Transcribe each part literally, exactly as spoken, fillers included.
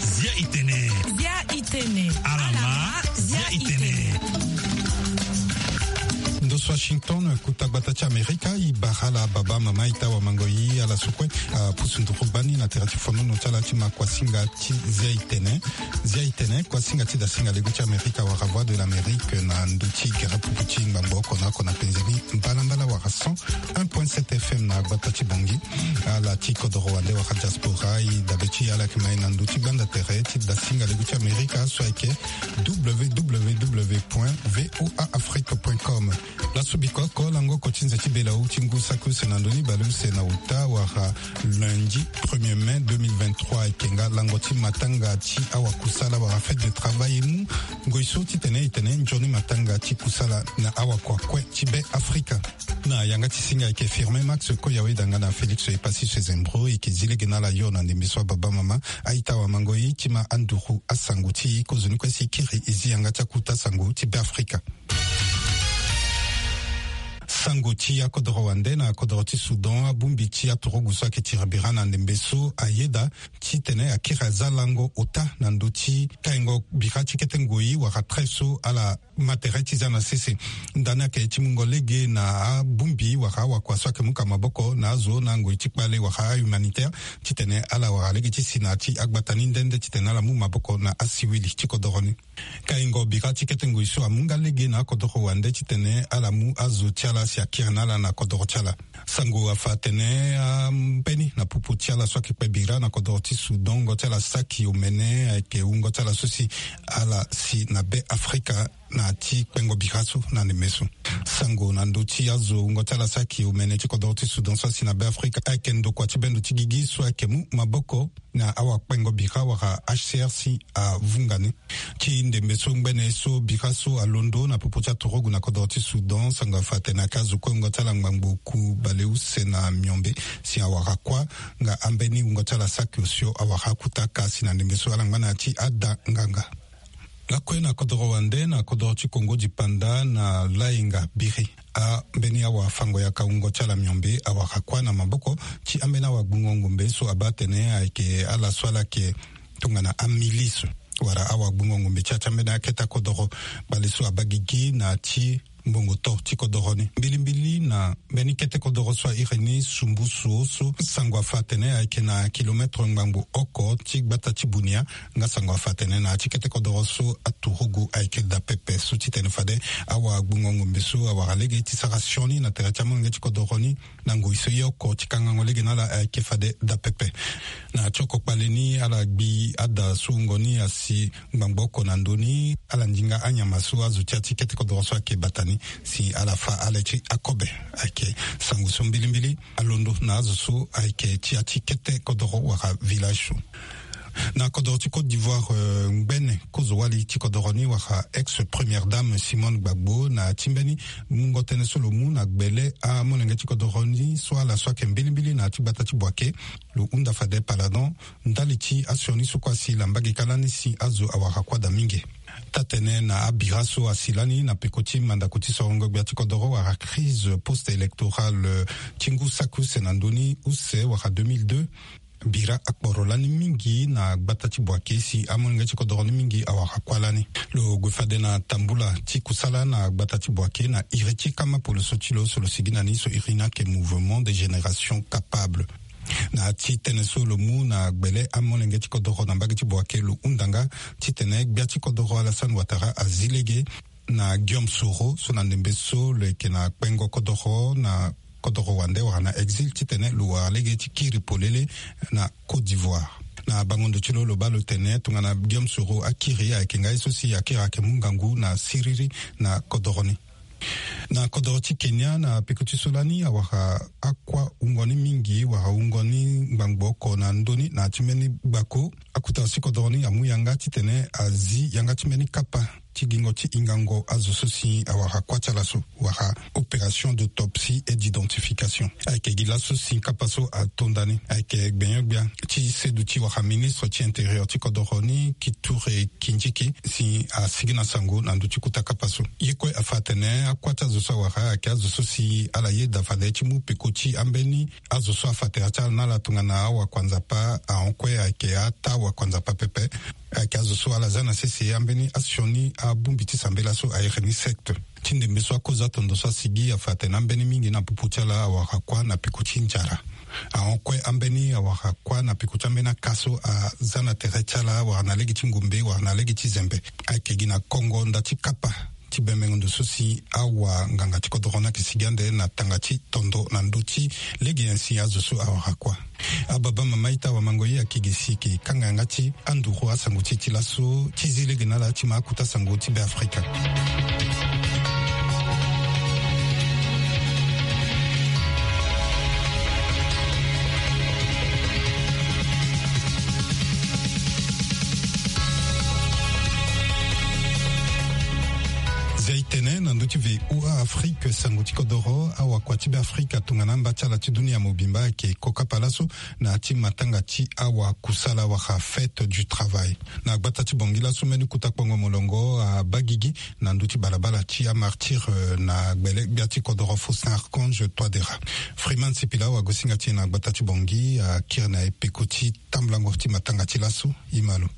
Zia itene. Zia itene. Alama. Zia itene. Ndo so Washington, kuta gbata ti Amerika, i bara ala baba, mama, ita, wamango, i ala so kue apusu nduru gbani na tere ti fonono ti ala ti ma kuasinga ti Zia itene. Zia itene, kuasinga ti dasinga lego ti Amerika wala Voix de l'Amérique na ndö ti gere pupu ti ngbangbo oko na oko na penze ni mbalambala wala cent un point sept F M na gbata ti Bangui. Ala ti kodoro wande wala diaspora, i dabe ti ala yeke ma e na ndö ti gbanda tere ti dasinga lego ti Amerika so ayeke W W W point V O A Afrique point com. Laso biko oko lango oko ti nze ti bela ou ti ngu saki use na ndö ni baleuse na uta wala lundi premier mai deux mille vingt-trois, ayeke nga lango ti matanga ti awakusala wala fête de travail, e mu ngoi so titene e tene nzoni matanga ti kusala na awakua kue ti Be Afrika. Na yanga ti singa ayeke Firmin Max Koyawe danga na Félix Epassi Sezembro, e yeke zi lege na ala yo na ndembe so ababa, mama, a-ita, wamango, e ti ma anduru asango ti e kozoni kue si e kiri e zi yanga ti akuta sango ti Be Afrika. Sango ti akodoro wande na akodoro ti Soudan, abongbi ti aturugu so ayeke tiri bira na ndembe so ayeda titene akiri aza lango ota na ndö ti kaingo bira ti kete ngoi wala trait so ala ma tere ti za na sese. Ndani ayeke ti mungo lege na abongbi wala awakua so ayeke mu ka maboko na azo na ngoi ti kpale wala ahumanitaire titene ala wara lege ti si na ya ti agbata ni nde nde titene ala mu maboko na asiwili ti kodoro ni. Kaingo bira ti kete ngoi so amu nga lege na akodoro wande titene ala mu azo ti ala si akiri na ala na kodoro ti ala. Sango afa atene ambeni na popo ti ala so ayeke kpe bira na kodoro ti Soudan, wungo ti ala saki omene ayeke wungo ti ala so si ala si na Be Afrika na ya ti kpengo bira so na ndembe so. Sango na ndö ti azo wungo ti ala saki omene ti kodoro ti Soudan so asi na Be Afrika ayeke ndokua ti bendo ti gigi so ayeke mu maboko na awakpengo bira wala H C R si avunga ni. Ti ndembe so ngbene so bira so alondo na popo ti aturugu na kodoro ti Soudan, sango afa atene ayeke azo kue wungo ti ala ngbangbo oku baleuse na miombe si awara kuâ, nga ambeni wungo ti ala saki osio awara kuta ka si na ndembe so ala ngba na ya ti ada nganga. Lakue na kodoro wande na kodoro ti Kongo dipanda na lainga biri, ambeni awafango yaka wungo ti ala miombe awara kuâ na maboko ti ambeni awagbungo ngombe so abaa atene ayeke ala so ala yeke tongana amilice wala awagbungo ngombe ti ya ti ambeni akete kodoro. Bale so abaa gigi na ya ti mbongo to ti kodoro ni mbilimbili na mbeni kete kodoro so a iri ni Sumbusu so sango afa atene ayeke na kilometre ngbangbo oko ti gbata ti Bunia. Nga sango afa atene na ya ti kete kodoro so aturugu ayeke daa pepe so titene fade awagbungo ngombe so awara lege ti sara sioni na tere ti amolenge ti kodoro ni. Na ngoi so ye oko ti kangango lege na ala ayeke fade daa pepe. Na ya ti oko kpale ni ala gbi ada so wungo ni asi ngbangbo oko na ndö ni, ala ndinga anyama so azo ti ya ti kete kodoro so ayeke bata ni si ala fâ ale ti akobe. Ayeke sango so mbilimbili alondo na azo so ayeke ti ya ti kete kodoro wala village so. Na kodoro ti Côte d'Ivoire, eh, ngbene kozo wali ti kodoro ni wala ex première dame Simone Gbagbo na ya ti mbeni mungo tënë so lo mu na gbele amolenge ti kodoro ni so ala so ayeke mbilimbili na ya ti gbata ti Boaké, lo hunda fade paladon ndali ti asioni so kue asi laa mbage kâ lani si azo awara kuâ daa mingi. Taa-tënë na abira so asi lani na peko ti mandako ti sorongo gbia ti kodoro wala crise post-électorale ti ngu saki use na ndö ni use wala deux mille deux, bira akporo lani mingi na gbata ti Boaké si amolenge ti kodoro ni mingi awara kuâ lani. Lo gue fade na tambula ti kusala na gbata ti Boaké na iri ti kama poloso ti lo so lo sigi na ni so iri ni ayeke Mouvement des Générations Capables. Na ya ti tënë so lo mu na gbele amolenge ti kodoro na mbage ti Boaké lo hunda nga titene gbia ti kodoro Alassane Ouattara azi lege na Guillaume Soro so na ndembe so lo yeke na kpengo kodoro na kodoro wande wala na exil titene lo wara lege ti kiri polele na Côte d'Ivoire. Na bango ndo ti lo lo baa lo tene tongana Guillaume Soro akiri ayeke nga ye so si akiri ayeke mu ngangu na siriri na kodoro ni. Na kodoro ti Kenya na peko ti so lani awara akuâ wungo ni mingi wala wungo ni ngbangbo oko na ndö ni na ya ti mbeni gbako. Akota si kodoro ni amu yanga titene azi yanga ti mbeni kapa ti gingo ti hingango azo so si awara kuâ ti ala so, wala opération d'autopsie et d'identification. Ayeke gi laso si kapa so ato nda ni ayeke gbenyo-gbia ti seduti wala ministre ti intérieur ti kodoro ni, Kithure Kindiki, si asigi na sango na ndö ti kota kapa so. Ye kue afa atene akuâ ti azo so awara ayeke azo so si ala yeda fade ti mu peko ti ambeni azo so afa tere ti ala na ala tongana awakua nzapa, ahon kue ayeke ataa wakua nzapa pepe. Ayeke azo so ala za na sese ambeni asioni abongbi ti sambela so a iri ni secte. Ti ndembe so akozo atondo so asigi afa atene ambeni mingi na popo ti ala awara kuâ na peko ti nzara. Ahon kue ambeni awara kuâ na peko ti ambeni aka so aza na tere ti ala wala na lege ti ngombe wala na lege ti zembe. Ayeke gi na kongo nda ti kapa ti bembengo ndo so si awanganga ti kodoro ni ayeke sigi ande na tanga ti tondo na ndö ti lege nyen si azo so awara kuâ. Ababa mama ita wamango ye ayeke gi si e yeke kanga yanga ti anduru asango ti e ti laso ti zi lege na ala ti ma akota sango ti Beafrika. Zia e tene na ndö ti V O A Afrique sango ti kodoro, awakua ti Beafrika tongana amba ti ala ti dunia mobimba ayeke ko kapa laso na ya ti matanga ti awakusala wala fête du travail. Na gbata ti Bangui laso mbeni kota kpongo molongo abaa gigi na ndö ti balabala ti amartyr, eh, na gbele gbia ti kodoro Faustin Archange Touadéra. Freeman Sipila awagosinga ti e na gbata ti Bangui akiri na e peko ti tambulango ti matanga ti laso. E ma lo.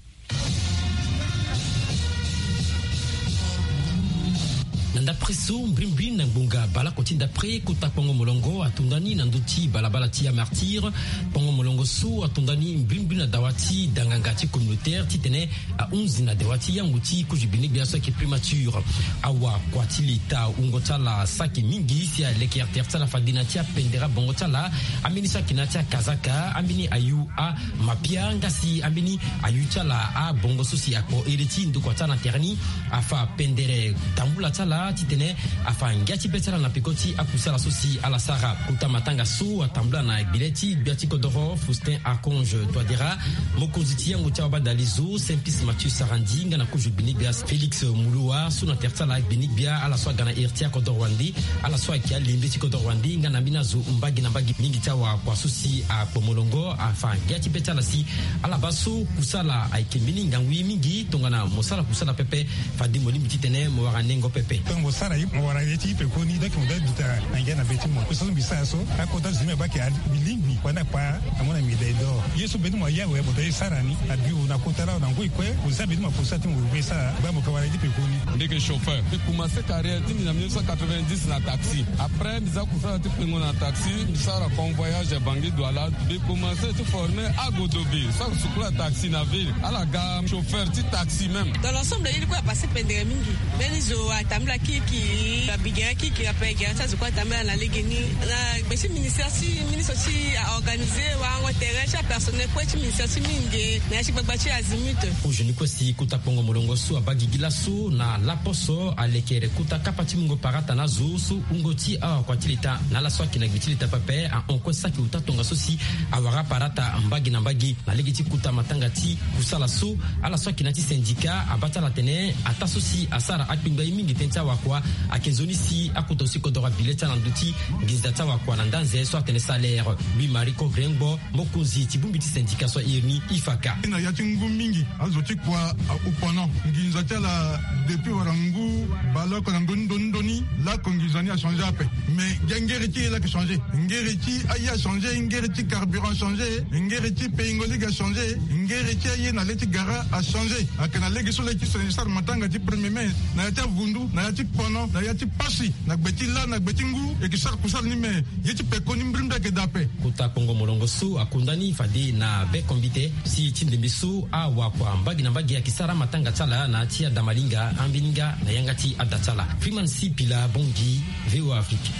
Na ndapre so mbrimbri na ngbonga baleoko ti ndapre kota kpongo molongo ato nda ni na ndö ti balabala ti amartyr. Kpongo molongo so ato nda ni mbrimbri na dawa ti danganga ti communautaire titene ahunzi na dawa ti yango ti kozo gbene gbia so ayeke primature. Awakua ti leta wungo ti ala saki mingi si aleke tere ti ala fade na ya ti apendere abongo ti ala. Ambeni saki na ya ti akazaka, ambeni ayu amapia nga si ambeni ayu ti ala abongo so si akpo ere ti ndokua ti ala na tere ni. Afa pendere tambula ti ala titene afa ngia ti be ti ala na peko ti akusala so si ala sara. Kota matanga so atambula na gbele ti gbia ti kodoro Faustin Archange Touadéra, mokonzi ti yango ti awabadalizo Simplice Mathieu Sarandji nga na kozo gbene gbia Félix Moloua so na tere ti ala gbene gbia ala so aga na iri ti akodoro wande, ala so ayeke alembe ti kodoro wande nga na ambeni azo mbage na mbage. Mingi ti awakua so si akpo molongo afa ngia ti be ti ala si ala baa so kusala ayeke mbeni ngangu ye mingi tongana mo sara kusala pepe. Fade mo lingbi titene mo wara nengo pepe. Tongana mo sara ye, mo wara ye ti pekoni, donc mo doit duta na ngia na be ti mo. Kusala so mbi sara so, akota zo ti mbi abaa ayeke mbi lingbi wala ni akpa, amu na mbi dai dor. Ye so mbeni mo aye awe, mo doit ye sara ni na biro, na kota laa, na ngoi kue, mo za mbeni mo akusala ti mo, mo be sara, baa mo ka wara ye ti pekoni. Mbi yeke chauffeur. Mbi commencé carrière ti mbi na mille neuf cent quatre-vingt-dix na taxi. Après, mbi za kusala ti kpengo na taxi, mbi sara convoyage Bangui Douala. Mbi commencé ti former agodobe, so asukula taxi na ville. Ala ga chauffeur ti taxi même. Dans l'ensemble, ye ni kue apase pendere mingi. Mbeni zo atambula kirikiri, abigere kirikiri ape, gere ti azo kue atambula na legeni. Na gbe ti ministère ti ministre ti aorganisé warango tere ti apersonnel kue ti ministère ti mingi na ya ti gbagba ti Azimut. Kozoni kue si kota kpongo molongo so abaa gigi laso na laposo alekere kota kapa ti mungo parata na azo so wungo ti awakua ti leta na ala so ayeke na gbe ti leta pepe ahon kue saki uta tongaso si awara parata mbage na mbage. Na lege ti kota matanga ti kusala so, ala so ayeke na ya ti syndicat abaa ti ala atene ataa so si asara akpengba ye mingi tënë ti awakua ayeke nzoni si akota aussi kodoro abile ti ala na ndö ti nginza ti awakua na ndanze so atene salaire. Louis Marie Kogre Ngbo, mokonzi ti bongbi ti syndicat so airi ni I F A K. Na ya ti ngu mingi azo ti kua ahupono nginza ti ala depuis wala ngu baleoko na ndoni ndoni ndoni. Lako nginza ni achangé ape. Mais nge- ngere ti ye laa ayeke changé. Ngere ti aye achangé, ngere ti carburant achangé, ngere ti peingo lege achangé, ngere ti aye na le ti gara achangé. Ayeke na lege so lege ti sara matanga ti premier mai na ya ti avundu, na ya ti pono, na ya ti pasi, na gbe ti lâ, na gbe ti ngu, e yeke sara kusala ni me. Ye ti pekoni mbrimbri ayeke daa ape. Kota kpongo molongo so akonda ni fade na be kombite si ti ndembe so awakua mbage na mbage ayeke sara matanga ti ala na ya ti adamalinga, ambeni nga na yanga ti ada ti ala. Freeman Sipila Bangui, V O A Afrique.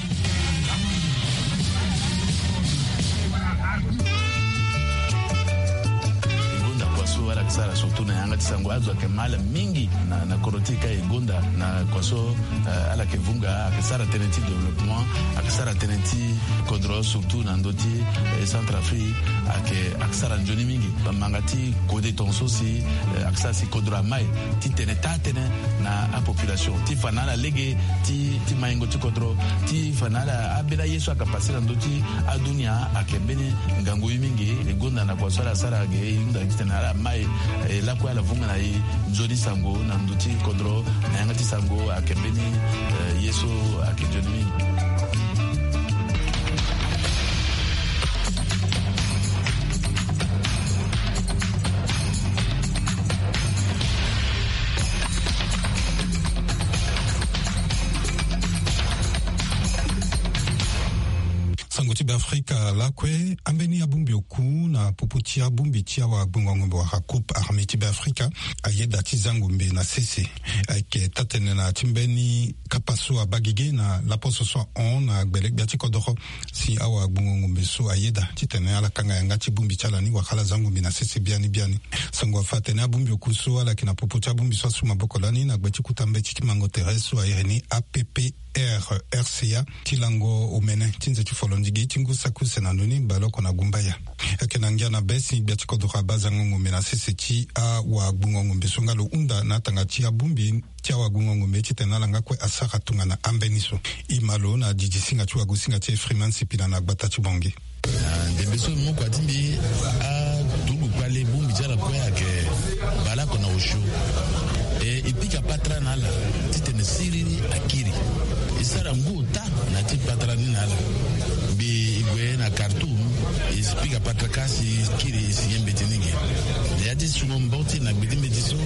Ngonda kua so Ala yeke sara surtout na yanga ti sango, azo ayeke ma ala mingi na, na kodro ti e ka e gonda na kua so, eh, ala yeke vunga, ayeke sara tënë ti développement, ayeke sara tënë ti kodro surtout na ndö ti, eh, Centrafrique, ayeke, ayeke sara nzoni mingi. Manga ti kode tongaso si, eh, ayeke sara si kodro ama e titene taa tënë na apopulation ti fa na ala lege ti, ti maingo ti kodro, ti fa na ala ambeni aye so ayeke pase na ndö ti adunia ayeke mbeni ngangu ye mingi. E gonda na kua so ala sara ge e hunda titene ala ma e, e lakue ala vunga na e nzoni sango na ndö ti kodro na yanga ti sango ayeke mbeni, eh, ye so ayeke nzoni mingi. Sango ti Beafrika lakue, ambeni abongbi oku na popo ti abongbi ti awagbongo-ngombe wala groupe armé ti Beafrika ayeda ti za ngombe na sese. Ayeke taa-tënë na ya ti mbeni kapa so abaa gege na laposo so ahon na gbele gbia ti kodoro si awagbongo-ngombe so ayeda titene ala kanga yanga ti bongbi ti ala ni wala ala za ngombe na sese biani biani. Sango afa atene abongbi oku so ala yeke na popo ti abongbi so asu maboko lani na gbe ti kota mbeti ti mango tere so a iri ni A P P R C A ti lango omene ti nze ti folondigi ti ngu saki use na ndoni baleoko na gumbaya. Ayeke na ngia na be si gbia ti kodoro abaa zango ngombe na sese ti awagbongo-ngombe so nga lo hunda na atanga ti abongbi ti awagbongo-ngombe titene ala nga kue asara tongana ambeni so. E ma lo na didi singa ti wagosinga ti e Freeman Sipila na gbata ti Bangui. Ah, ndembe so mbi mu kua ti mbi, aturugu kpale bongbi ti ala kue ayeke baleoko na osio. E, e pika patara na ala titene siriri akiri. E sara ngu ota na ya ti patara ni na ala. Mbi e gue na Khartoum, e si pika patara kâ si e kiri, e si ye mbeti ni ge. Na ya ti sungo mbo ti na gbe ti mbeti so,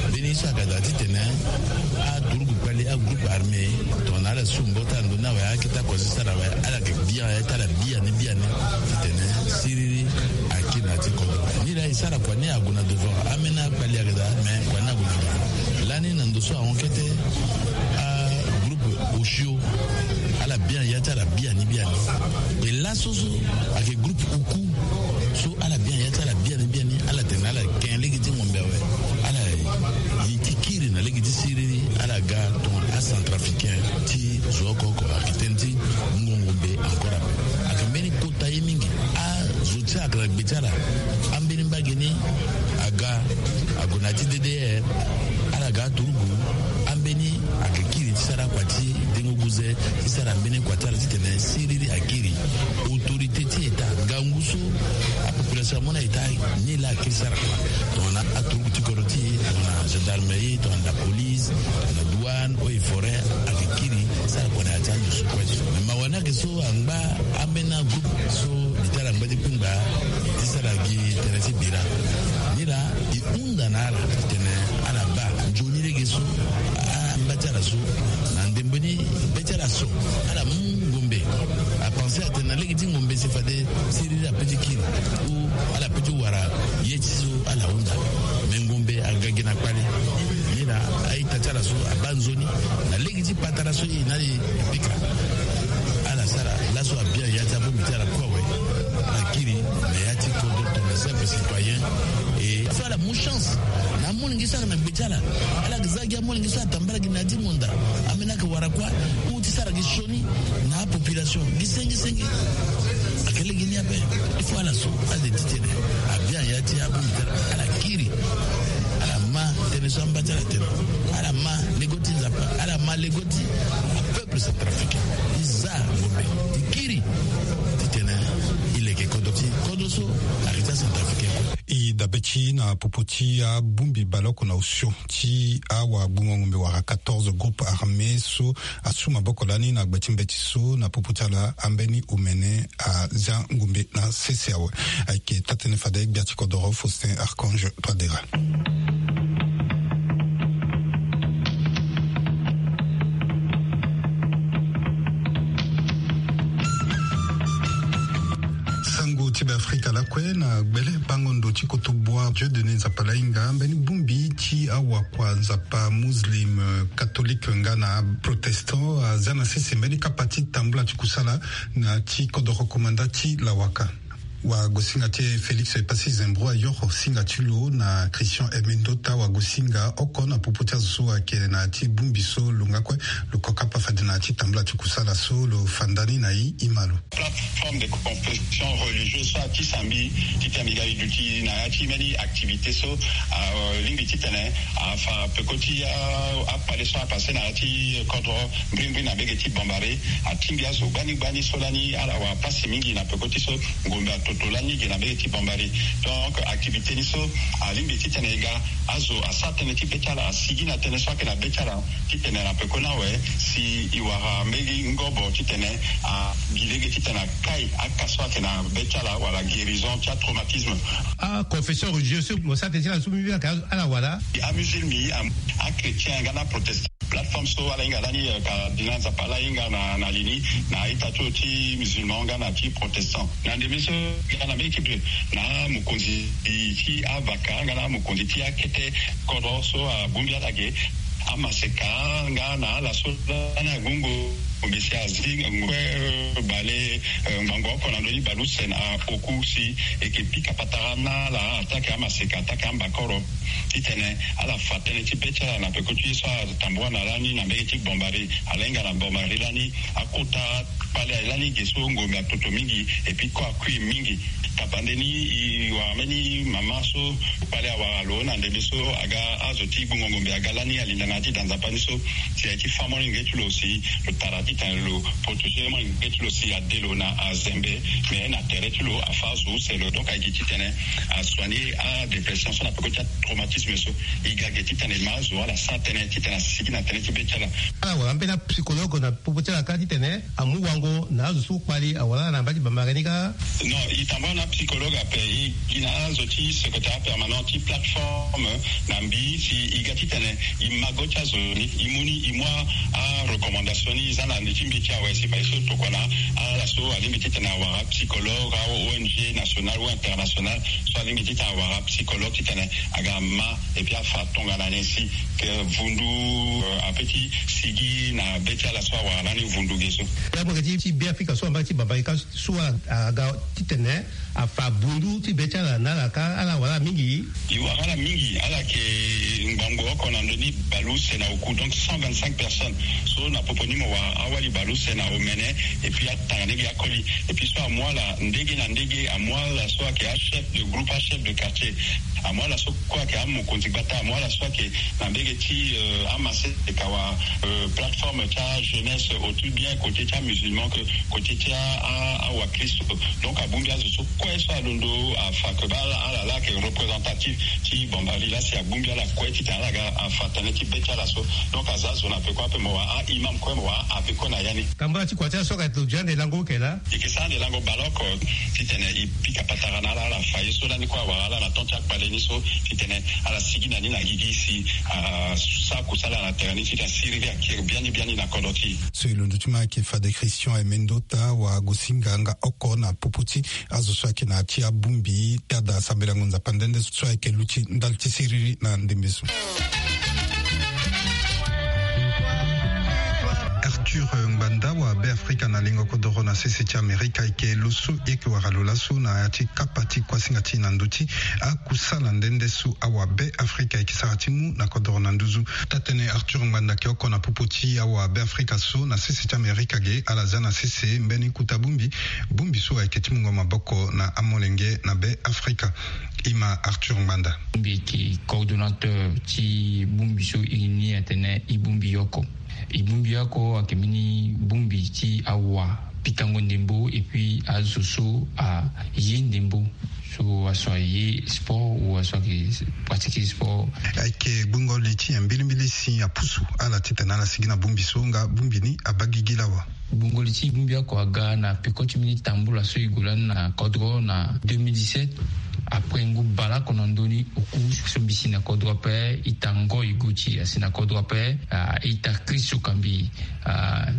mbeni ye so ayeke daa titene aturugu kpale, agroupe armé, tongana ala su mbo ti ala ndo ni awe, akete akua so e sara awe, ala yeke bia ya ti ala biani biani titene siriri akiri na ya ti kodro. Ni laa e sara kua ni ague na devant. Ambeni akpali ayeke daa, me kua ni ague na devant. Lani na ndo so ahon kete, agroupe osio, ala bia ya ti ala biani biani. E laso so ayeke groupe oku so ala bia ya ti ala biani biani, ala tene ala ken lege ti ngombe awe. Ala ye ti kiri na lege ti siriri, ala ga tongana acentrafricain ti zo oko oko. Ayeke tënë ti ngongo mbe encore ape. Ayeke mbeni kota ye mingi. Azo ti ala ayeke na gbe ti ala. Ambeni mbage ni aga, ague na ya ti D D R, ala ga aturugu. Ambeni ayeke kiri ti sara akua ti dengo guze, ti sara mbeni kua ti ala titene siriri akiri. Autorité ti État, ngangu so apopulation amu na État, ni laa akiri sara kua. Tongana aturugu ti kodro ti e, tongana gendarmerie, tongana la police, tongana douane, eaux et forêts, ayeke kiri sara kua na ya ti anzo so kue so. Me mawa ni ayeke so angba ambeni agroupe so mbi ti ala angba ti kpengba ti sara gi tënë ti bira. Ni laa e hunda na ala titene ala baa nzoni lege so, amba ti ala so, na ndembe ni be ti ala so, ala mu ngombe. Apense atene na lege ti ngombe si fade siriri ape ti kiri, ou ala pe ti wara ye ti so ala hunda. Me ngombe aga gi na kpale. Ni laa a-ita ti ala so abaa nzoni na lege ti patara so e na e pika. Ala sara laso abia ya ti abongbi ti ala kue awe. Ala kiri na ya ti kodro tongana simple citoyen. E so ala mu chance na amolenge so ayeke na gbe ti ala. Ala yeke za gi amolenge so atambala gi na ya ti ngonda. Ambeni ayeke wara kuâ ou ti sara gi sioni na apopulation gi senge senge. Ayeke lege ni ape. Il faut ala so ala de titene abia ya ti abongbi ti ala, ala kiri. Ala ma tënë so amba ti ala atene. Ala ma lego ti Nzapa, ala ma lego ti apeuple centrafricain. E za ngombe, e kiri titene e leke kodro ti kodro so ayeke ti acentrafricain kue. E dabe ti na popo ti abongbi baleoko na osio ti awagbongo ngombe wala quatorze groupe armé so asu maboko lani na gbe ti mbeti so na popo ti ala ambeni omene aza ngombe na sese awe. Ayeke taa-tënë fade gbia ti kodoro Faustin Archange Touadéra. Sango ti Beafrika lakue na gbele bango ndo ti kotobua Dieu Denis Nzapalainga, mbeni bongbi ti awakua Nzapa muslim, eh, catholique nga na protestant, aza na sese mbeni kapa ti tambula ti kusala na ti kodoro komanda ti Lawaka. Wagosinga ti e Félix Passy Zembro ayoro singa ti lo na Christian Emendota, wagosinga oko na popo ti azo so ayeke na ya ti bongbi so lo nga kue lo kokapa fade na ya ti tambula ti kusala so lo fa ndani na e. Ima lo. Plateforme de confession religieuse so atisa mbi titene mbi ga e duti na ya ti mbeni activité so, alingbi titene afa peko ti akpale so apasse na ya ti kodro mbrimbri na mbege ti Bambari. Atingbi azo gbani gbani so lani ala wara pasi mingi na peko ti so ngombe atoto lani ge na mbege ti Bambari. Donc activité ni so alingbi titene e ga azo asara tënë ti be ti ala, asigi na tënë so ayeke na be ti ala titene na peko ni awe si e wara mbeni ngobo titene agi lege titene akai aka so ayeke na be ti ala wala guérison ti atraumatisme. Aconfession religieuse so mo sara tënë ti ala so mbi mbi ayeke ala wala? Amusulmi, achrétien nga na protestant. Plateforme so ala hinga lani, cardinal Nzapa ala hinga na li ni na ita ti lo ti musulman nga na ti protestant. Na ndembe so, nga na mbeni ti be na mokonzi ti avaka nga na mokonzi ti akete kodro so abongbi ala ge, amaseka nga na ala so lani agungo. Ngombe si azi ngombe kue bale ngbangbo oko na ndö ni baleuse na oku si e yeke pika patara na ala attaque amaseka, attaque ambakoro. Titene ala fa tënë ti be ti ala na peko ti ye so atambua na lani na mbege ti Bambari. Ala hinga na Bambari lani akota kpale lani ge so ngombe atoto mingi et puis kue akui mingi. Tabande ni e wara mbeni mama so kpale awara lo na ndembe so aga azo ti gbungo ngombe aga lani alinda na ya ti da Nzapa ni so si aye ti fa molenge ti lo si lo tara titene lo protéger molenge ti lo si ade lo na azembe. Mais na tere ti lo afa azo use lo, donc ayeke titene asoigner adépression so na peko ti atraumatisme so. E ga ge titene e ma azo ala sara tënë titene asigi na tënë ti be ti ala. Ala wara ambeni apsychologue na popo ti ala kâ titene amu wango na azo so kpali awara ala na mbage ti Bambari ni kâ? Non, e tambua na apsychologue ape. E gi na azo ti secrétariat permanent ti plateforme na mbi si e ga titene e ma go ti azo ni, e mu ni, e mu arecommandation ni, e za na li ti mbi ti awe si fadeso tokua na ala so alingbi titene awara apsychologue, a-ONG nationale ou internationale so alingbi titene awara apsychologue titene aga ma et puis afa tongana nyen si ke vundu ape ti sigi na be ti ala so awara lani vundu ge so. Ya mo yeke ti Beafrika so na mbage ti Bambari kâ so aga titene afa bundu ti be ti ala na ala kâ, ala wara ala mingi. E wara ala mingi, ala yeke ngbangbo oko na ndö ni baleuse na oku, donc cent vingt-cinq personnes. So na popo ni mo wara awali baleuse na omene et puis atanga ndege akoli. Et puis so amu ala ndege na ndege, amu ala so ayeke achef de groupe, achef de quartier, amu ala so kue ayeke amokonzi gbata, amu ala so ayeke na mbege ti amaseka wala plateforme ti ajeunesse, aussi bien côté ti amusulman que côté ti awakristo. Donc abongbi azo so kue so alondo afa ke baa ala laa ayeke représentatif ti Bambari laa si abongbi ala kue titene ala ga afa tënë ti be ti ala so. Donc aza zo na peko ape, mo wara a-imam kue, mo wara abbé kue na ya ni. Tambula ti kua ti ala so ayeke lo duti ande lango oke laa? E yeke sara ande lango baleoko titene e pika patara na ala, ala fa ye so lani kue awara ala na temps ti akpale ni so titene ala sigi na ni na gigi si asara kusala na tere ni titene asiriri akiri biani biani na kodro ti e. So e londo ti ma ayeke fade Christian Emendota, wagosinga nga oko na popo ti azo so ayeke na ya ti abongbi tada sambelango Nzapa nde nde so ayeke luti ndali ti siriri na ndembe so. Arthur Ngbanda, awabe Afrika na lingo kodoro na sese ti Amerika, ayeke lo so e yeke wara lo laso na ya ti kapa ti kuasinga ti e na ndö ti akusala nde nde so awabe Afrika ayeke sara ti mu na kodoro na nduzu. Taa-tënë Arthur Ngbanda ayeke oko na popo ti awabe Afrika so na sese ti Amerika ge. Ala za na sese mbeni kota bongbi, bongbi so ayeke ti mungo maboko na amolenge na be Afrika. Ima Arthur Ngbanda. Mbi yeke coordonnateur ti bongbi so e ni atene e bongbi oko. E bongbi oko ayeke mbeni bongbi ti awa pikango ndembo et puis azo so aye ndembo, so aso aye sport ou aso ayeke pratiquer sport. Ayeke gbungo li ti nyen mbilimbili si apusu ala titene ala sigi na bongbi so nga bongbi ni abaa gigi lawa? Gbungo li ti bongbi oko aga na peko ti mbeni tambula so e gue lani na kodro na deux mille dix-sept. Après ngu baleoko na ndö ni oku so mbi si na kodro ape, ita Ngoy Guti asi na kodro ape, ah, ita Chris Okambi, ah,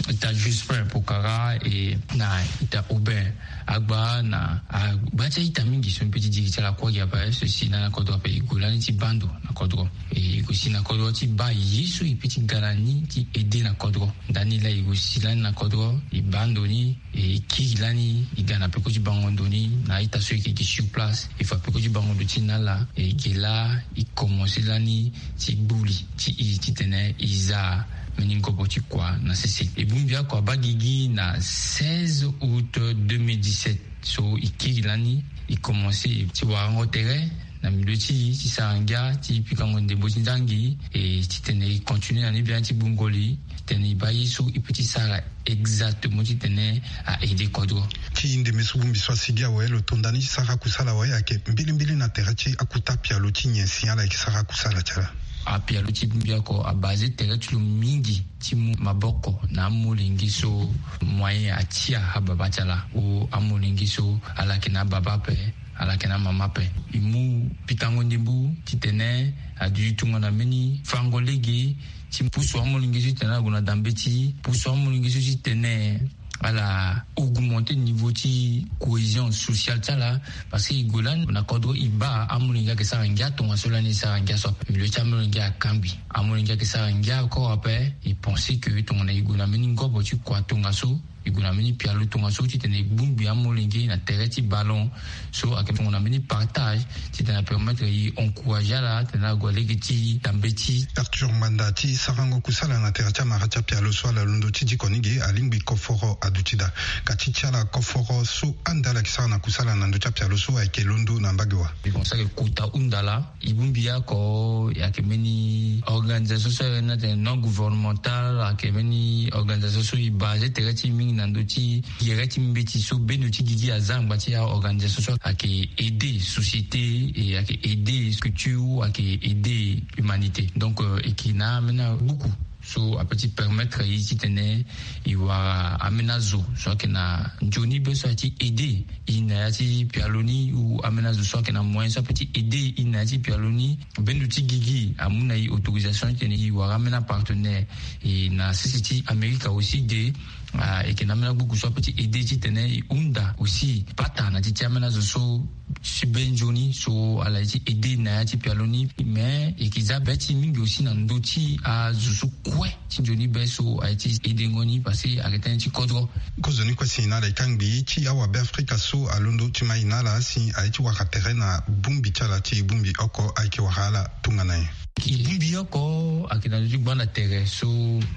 ita Jospin Pokara, e na ita Aubin Agba na agba ti a-ita mingi so mbi pe ti diri ti ala kue gi ape so e si lani na kodro ape. E gue lani ti baa ndo na kodro. E gue si na kodro ti baa ye so e pe ti ga na ni ti aide na kodro. Ndani laa e gue si lani na kodro, e baa ndo ni. E kiri lani e ga na peko ti bango ndo ni na ita so e yeke gi sur place. E fa peko ti bango ndo ti e na ala, e ge laa e komanse lani ti gbu li ti e titene e za mbeni ngobo ti kua na sese. E bongbi oko abaa gigi na seize août deux mille dix-sept. So e kiri lani e komanse ti warango tere na milieu ti e ti sara ngia ti pikango ndembo ti nzangi, e titene e continue na ni biani ti gbungo li titene e baa ye so e peut ti sara exactement titene a aider kodro. Ti ndembe so bongbi so asigi awe, lo to nda ni ti sara akusala awe, ayeke mbilimbili na tere ti akuta pialo ti nyen si ala yeke sara akusala ti ala? Apialo ti bongbi oko abase tere ti lo mingi ti mu maboko na amolenge so moyen atia ababa ti ala, ou amolenge so ala yeke na ababa ape, ala yeke na amama ape. E mu pikango ndembo titene aduti tongana mbeni fango lege ti pusu amolenge so titene ala gue na dambe ti e, pusu amolenge so titene ala augmenter niveau ti cohésion sociale ti ala. Parce que e gue lani na kodro e baa amolenge ayeke sara ngia tongaso lani e sara ngia so ape. Milieu ti amolenge akangbi. Amolenge ayeke sara ngia encore ape. E pense que tongana e gue na mbeni ngobo ti kua tongaso, e gue na mbeni pialo tongaso titene e bongbi amolenge na tere ti ballon. So ayeke tongana mbeni partage titene apermettre e encourager ala titene ague lege ti dambe ti e. Arthur Ngbanda, ti sarango kusala na tere ti amara ti apialo so ala londo ti diko ni ge, alingbi koforo aduti daa. Ka ti ti ala koforo so ande ala yeke sara na kusala na ndö ti apialo so ayeke londo na mbage wa? E kota hunda laa. E bongbi oko ayeke mbeni organisation so ayeke na tene non gouvernemental, ayeke mbeni organisation so e base tere ti e mingi na ndö ti gere ti mbeti so bendo ti gigi aza angba ti aorganisation so ayeke aider société, e ayeke aider structure, ayeke aider humanité. Donc, euh, e yeke na ambeni agbuku so apeut ti permettre e titene e wara ambeni azo so ayeke na nzoni be so aye ti aider e na ya ti pialo ni, ou ambeni azo so ayeke na moyen so apeut ti aider e na ya ti pialo ni. Bendo ti gigi amu na e autorisation titene e wara ambeni apartenaire. E na sese ti Amerika aussi de, ah, e yeke na ambeni agbuku so apeut ti aider titene e hunda aussi pata na ti ti ambeni azo so ti be nzoni so ala ye ti aider na ya ti pialo ni. Mais e yeke za be ti e mingi aussi na ndö ti azo so kue ti nzoni be so aye ti aider ngo ni, parce que ayeke tënë ti kodro. Kozoni kue si na ala e kangbi ti awabe Afrika so alondo ti ma e na ala si aye ti wara tere na bongbi ti ala ti e bongbi oko ayeke wara ala tongana nyen? E bongbi oko ayeke na ndö ti gbanda tere so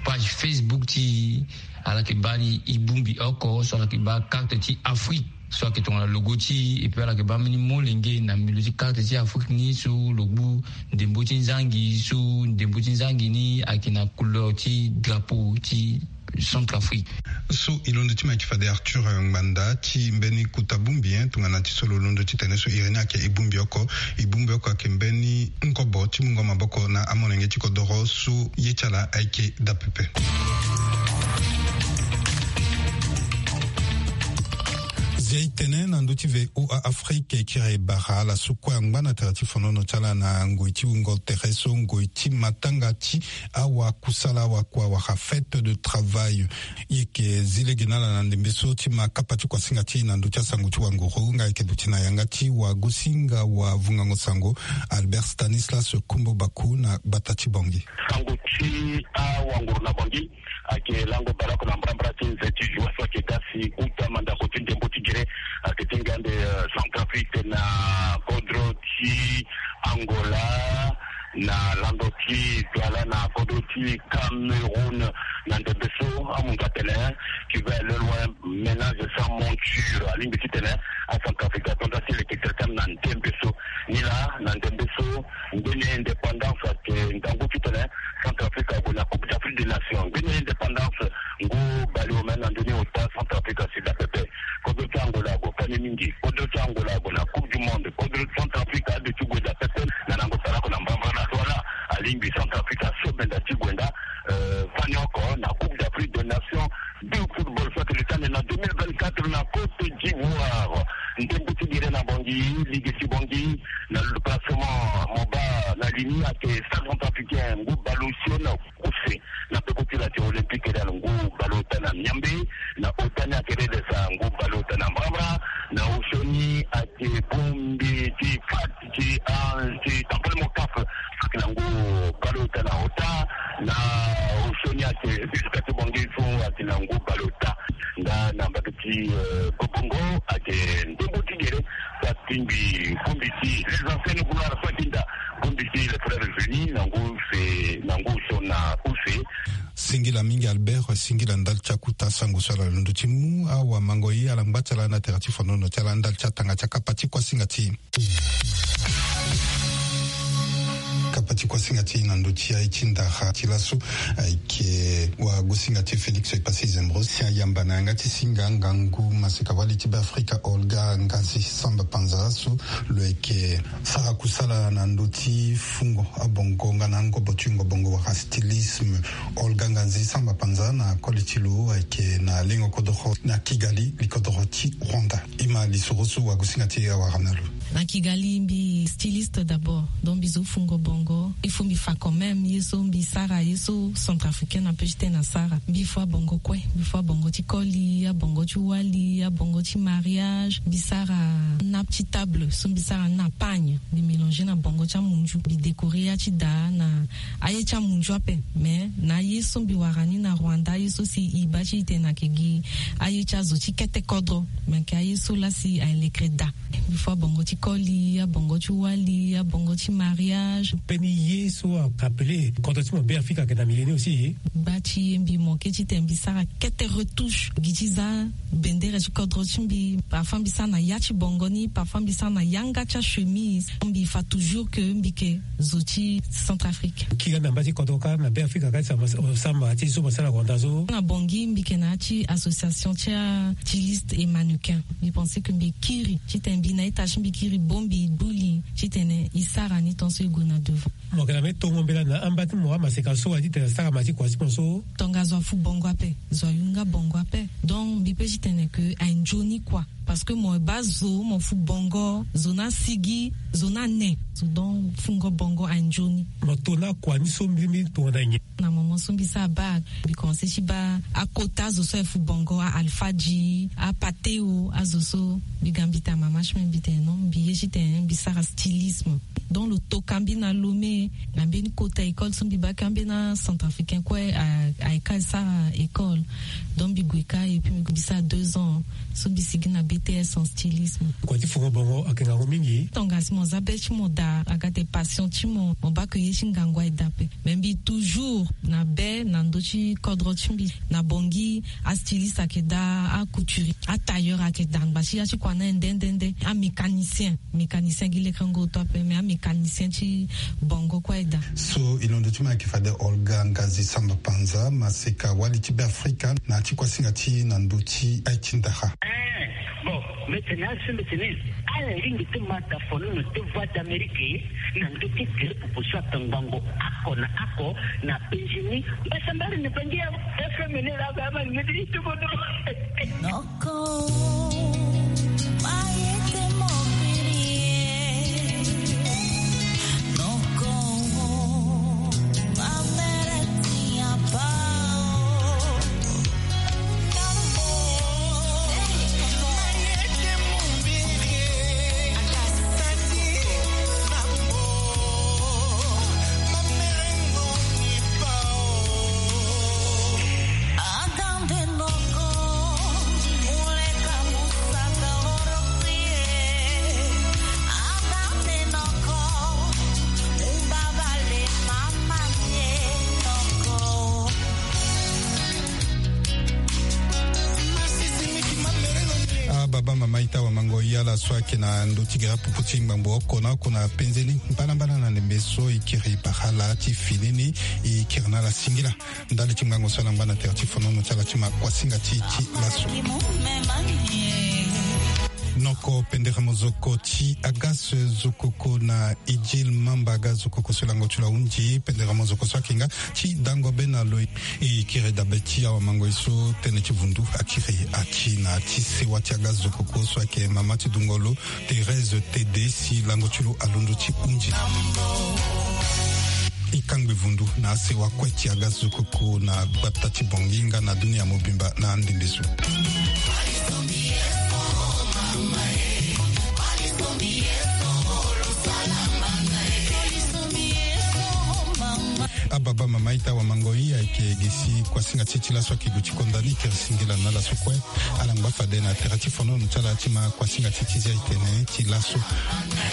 page Facebook ti e, ala yeke baa ni e bongbi oko so ala yeke baa carte ti Afrique so ayeke tongana logo ti e, et puis ala yeke baa mbeni molenge na milieu ti carte ti Afrique ni so lo gbu ndembo ti nzangi, so ndembo ti nzangi ni ayeke na couleur ti drapeau ti Centrafrique. So e londo ti ma e yeke fade Arthur Ngbanda ti mbeni kota bongbi, hein, tongana ti so lo londo titene so iri ni ayeke e bongbi oko. E bongbi oko ayeke mbeni ngobo ti mungo maboko na amolenge ti kodoro so ye ti ala ayeke daa pepe. Zia e tene na ndö ti V O A Afrique, e kiri e bara ala so kue angba na tere ti fonono ti ala na ngoi ti wungo tere so ngoi ti matanga ti awakusala, awakua wala fête de travail. E yeke zi lege na ala na ndembe so ti ma kapa ti kuasinga ti e na ndö ti asango ti wanguru, nga e yeke duti na yanga ti wagosinga wa vungango sango Albert Stanislas Kombo Baku na gbata ti Bangui. Sango ti awanguru na Bangui ayeke lango baleoko na mbrambra ti nze ti joie so ayeke ga si uta mandako ti ndembo ti gere ayeke ti ngia ande, eh, Centrafrique na kodro ti Angola, na lando ti Douala na kodro ti Cameroun. Na ndembe so amu nga atene, tu vas aller loin, ménage sans monture. Alingbi titene aCentrafrique ato nda ti leke tere ti ame na ndembe so. Ni laa na ndembe so mbeni indépendance ayeke ngangu titene Centrafrique ague na Coupe d'Afrique des Nations. Mbeni indépendance ngu baleomene na ndoni ota Centrafrique asi daa pepe. Kodro ti Angola ague fani mingi. Kodro ti Angola ague na Coupe du Monde. Kodro ti Centrafrique aduti gue daa pepe. Na lango baleoko na mbrambra na Douala, alingbi Centrafrique asobenda ti gue nda, eh, fani oko na Coupe d'Afrique des Nations de football so ayeke lutande na deux mille vingt-quatre na Côte d'Ivoire. Ndembo ti gere na Bangui, ligue ti Bangui, na le classement, mo baa na ligne ayeke Stade Centrafricain ngu baleosio na kuse. Na peko ti la ti Olympique Real ngu baleota na miambe. Na ota ni ayeke Redes ngu baleota na mbrambra. Na osio ni ayeke bongbi ti Fat ti, ah, ti Tampalemo Caf, ayeke na ngu baleota na ota. Na osio ni Ake jusqu'à ti bongi so ake na ngu baleota nga na mbage ti, euh, Bobongo, ake ndembo ti gere so atingbi fumbi ti les anciennes gloires so atinda fumbi ti les frères unis na ngu use, na ngu so na use. Singila mingi Albert, singila ndali ti akuta sango so ala londo ti mu. Awamango ye ala ngba ti ala na tere ti fonono ti ala ndali ti atanga ti akapa ti kuasinga ti e. Kapa ti kuasinga ti e na ndö ti aye ti ndara ti laso ayeke wagosinga ti e Félix Passy Zembro si ayamba na yanga ti singa ngangu maseka wali ti Beafrika Olga Nganzi Samba Panza so lo yeke sara kusala na ndö ti fungo abongo nga na angobo ti wungo bongo wala stylisme. Olga Nganzi Samba Panza na koli ti lo ayeke na lengo kodoro na Kigali, li kodoro ti Rwanda. E ma lisoro so wagosinga ti e awara na lo. Na Kigali mbi styliste d'abord, donc mbi zo fungo bongo. Il faut mbi fa quand même ye so mbi sara, ye so centrafricain na peut ti tene asara. Mbi fo abongo kue, mbi fo abongo ti koli, abongo ti wali, abongo ti mariage. Mbi sara nappe ti table so mbi sara na pagne, mbi mélanger na bongo ti amunzu, mbi décorer ya ti da na aye ti amunzu ape. Mais na aye so mbi wara ni na Rwanda, aye so si e baa ti e tene ayeke gi aye ti azo ti kete kodro, me ayeke aye so laa si aye lekere daa. Mbi fo abongo ti koli, abongo ti wali, abongo ti mariage. Mbeni ye so a rappelé kodro ti mo Beafrika ayeke na milieu ni aussi. Gba ti e mbi manqué ti tene mbi sara kete retouche gi ti za bendere ti kodro ti mbi. Parfois mbi sara na ya ti bongo ni, parfois mbi sara na yanga ti achemise. Mbi fa toujours que mbi yeke zo ti Centrafrique. Kiri na mba ti kodro kâ na Beafrika kâ ti samba, samba ti so mo sara na Rwanda so. Na Bangui mbi yeke na ya ti association ti a styliste et mannequin. Mbi pensé que mbi kiri ti tene mbi na ita ti mbi kiri bongbi buli ti tene e sara ni tant so e gue na devant. Mo yeke na mbeni tongo mbela na amba ti mo amaseka so wala ti tene asara ma ti kua ti mo so. Tongaso afu bongo ape, zo ayunga bongo ape. Donc mbi peut ti tene que aye nzoni kua. Parce que mo baa zo, mo fu bongo, zo ni asigi, zo ni ane. So donc fungo bongo aye nzoni. Mo to na kua ni so mbi, mbi tongana nyen? Na moment so mbi sara bac, mbi commencé ti baa akota azo so aye fu bongo, a Alpha G, a Pateo, azo so. Mbi ga mbi tene mama ti mbi, mbi tene non, mbi ye ti tene mbi sara stylisme. Donc lo toka mbi na Lomé, na mbeni kota école so mbi baa kâ mbeni acentrafricain kue a, aye kâ e sara école. Donc mbi gue kâ et puis mbi sara deux ans so mbi sigi na B T S en stylisme. Kua ti fungo bongo ayeke ngangu mingi. Tongana si mo za be ti mo daa, aga tene passion ti mo, mo baa ke ye ti ngangu aye daa ape. Mais mbi toujours na be na ndö ti kodro ti mbi. Na Bangui, astyliste ayeke daa, acouturier, atailleur ayeke daa, angba ti ya ti kua ni aye nde nde nde, amécanicien. Mécanicien gi lekerengo oto ape, mais amécanicien ti bongo kue aye daa. So e londo ti mo ayeke fade Olga Ngazi Samba Panza, maseka wali ti Beafrika, na ya ti kuasinga ti e na ndö ti aye ti ndara. Eh, bon, mbi tene asi mbi tene ala lingbi ti ma ta fonono ti Voix d'Amérique na ndö ti gere popo so atongbango oko na oko na penzi ni. Mbasambari ni bangi ya F M ni laa ba ama ni ti ti bodo. Noko, ma ye ti mobili e. Noko, ma mere ti apa o. Ababa mama ita wamango, yala so ayeke na ndö ti gere apupu ti ngbangbo oko na oko na penze ni, mbalambala na ndembe so e kiri bara ala ti fini ni, e kiri na ala singila. Ndali ti ngangu so ala ngba na tere ti fonono ti ala ti ma kuasinga ti e ti laso. Noko pendere mozoko ti aga so zokoko na Idjil Mamba, aga zokoko so lango ti lo ahunzi pendere mozoko so ayeke nga ti dango be na lo. E kiri dabe ti awamango e so tënë ti vundu akiri ati na ti sewa ti aga zokoko so ayeke mama ti dungolo Thérèse Tede si lango ti lo alondo ti hunzi. E kangbi vundu na asewa kue ti aga zokoko na gbata ti Bangui nga na dunia mobimba na andende so. Ababa mama ita wamango e ayeke Si kuasinga ti e ti laso ayeke duti konda ni, tere singila na ala so kue. Ala ngba fade na tere ti fonono ti ala ti ma kuasinga ti e ti zia e tene ti laso.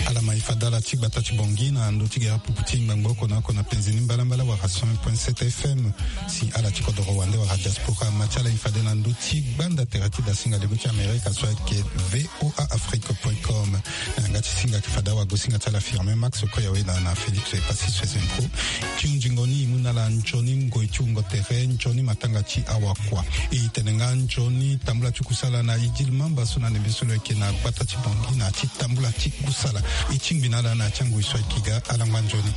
Ala ma e fade ala ti gbata ti Bangui na ndö ti gere pupu ti ngbangbo oko na oko na penzi ni mbalambala wala cent point sept F M. Si ala ti kodoro wande wala diaspora ma ti ala e fade na ndö ti gbanda tere ti dasinga lego ti Amerika so ayeke V O A Afrique point com. Na yanga ti singa ayeke fade awagosinga ti ala Firmin Max Koyawe na, na Félix Epassi Soezenpro. Ti hunzingo ni e mu na ala nzoni ngoi ti wungo tere, nzoni matanga ti awakua. E tene nga nzoni tambula ti kusala na Idil Mamba so na ndembe so lo yeke na gbata ti Bangui na ya ti tambula ti kusala. E tingbi na ala na ya ti angoi so ayeke ga. Ala ngba nzoni.